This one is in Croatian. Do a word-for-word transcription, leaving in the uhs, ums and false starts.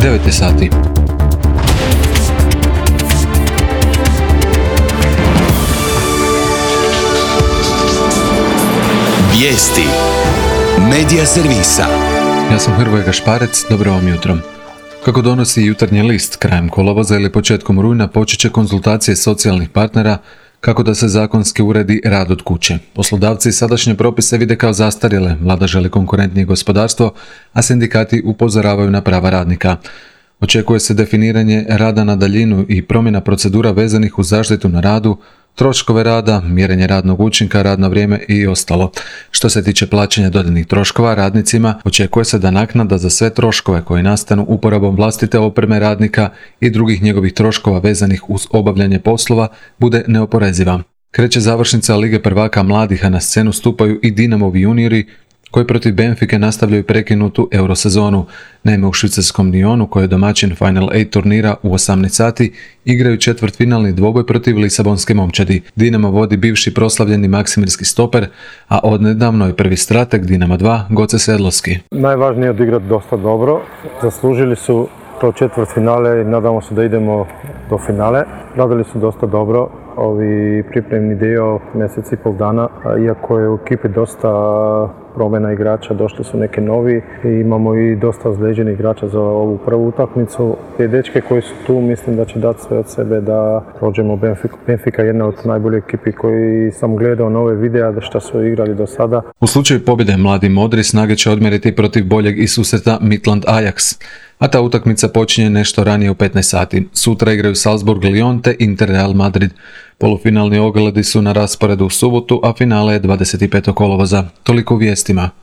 devet je sati. Vijesti Medija servisa. Ja sam Hrvoje Gašparec, dobro vam jutro. Kako donosi Jutarnji list, krajem kolovoza ili početkom rujna počet će konzultacije socijalnih partnera kako da se zakonski uredi rad od kuće. Poslodavci sadašnje propise vide kao zastarjele, vlada želi konkurentnije gospodarstvo, a sindikati upozoravaju na prava radnika. Očekuje se definiranje rada na daljinu i promjena procedura vezanih uz zaštitu na radu, troškove rada, mjerenje radnog učinka, radno vrijeme i ostalo. Što se tiče plaćanja dodanih troškova radnicima, očekuje se da naknada za sve troškove koji nastanu uporabom vlastite opreme radnika i drugih njegovih troškova vezanih uz obavljanje poslova bude neoporeziva. Kreće završnica Lige prvaka mladih, a na scenu stupaju i Dinamovi juniori koji protiv Benfike nastavljaju prekinutu eurosezonu. Naime, u švicarskom Lyonu, koji je domaćin Final osam turnira u osamnaest sati, igraju četvrtfinalni dvoboj protiv Lisabonske momčadi. Dinamo vodi bivši proslavljeni maksimirski stoper, a odnedavno je prvi strateg Dinama dva, Goce Sedlovski. Najvažnije je odigrati dosta dobro. Zaslužili su to četvrtfinale i nadamo se da idemo do finale. Radili su dosta dobro. Ovi pripremni dio mjesec i pol dana, iako je u ekipi dosta promjena igrača, došli su neki novi i imamo i dosta ozlijeđenih igrača za ovu prvu utakmicu. Te dečke koji su tu mislim da će dati sve od sebe da prođemo Benfiku. Benfica je jedna od najboljih ekipi koji sam gledao nove videa da šta su igrali do sada. U slučaju pobjede mladi modri snage će odmjeriti protiv boljeg iz susreta Midland Ajax, a ta utakmica počinje nešto ranije u petnaest sati. Sutra igraju Salzburg Lyon te Inter Real Madrid. Polufinalni ogledi su na rasporedu u subotu, a finale je dvadeset petog kolovoza. Toliko u vijestima.